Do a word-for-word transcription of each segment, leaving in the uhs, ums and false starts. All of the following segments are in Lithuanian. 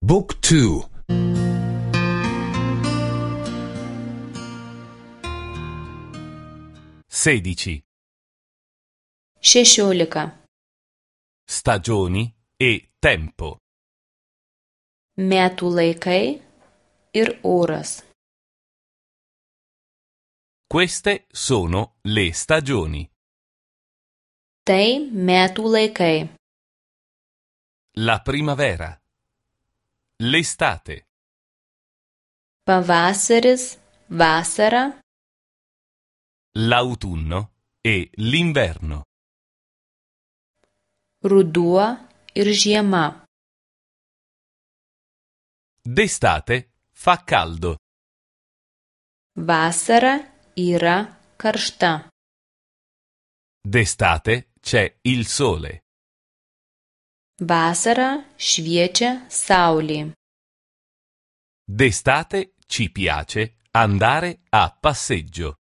Book two. sedici. Šešiolika. Stagioni e tempo. Metų laikai ir oras. Queste sono le stagioni. Tai metų laikai. La primavera. L'estate. Pavasaris, vasara, L'autunno e l'inverno. ruduo ir žiema. D'estate fa caldo. Vasara yra karšta. D'estate c'è il sole. Vasarą šviečia saulė. D'estate ci piace andare a passeggio.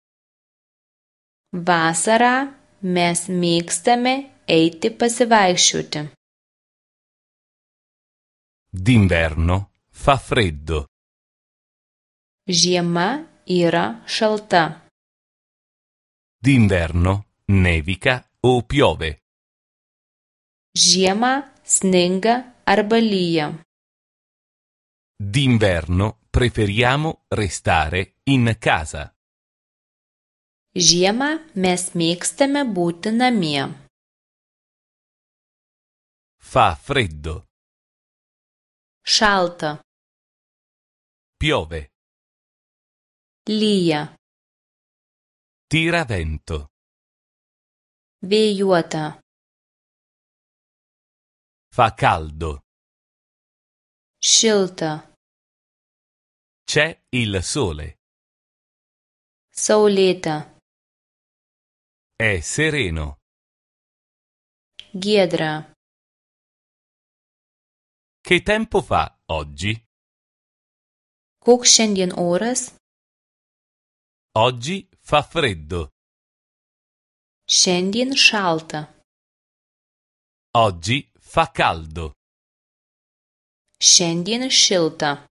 Vasarą mes mėgstame eiti pasivaikščioti. D'inverno fa freddo. Žiema yra šalta. D'inverno nevica o piove. Žiemą sninga arba lyja. D'inverno preferiamo restare in casa. Žiemą mes mėgstame būti namie. Fa freddo. Šalta. Piove. Lyja. Tira vento. Vėjuota. Fa caldo. Šilta. C'è il sole. Saulėta. È sereno. Giedra. Che tempo fa oggi? Koks šiandien oras? Oggi fa freddo. Šiandien šalta. Oggi fa caldo. Šiandien šilta.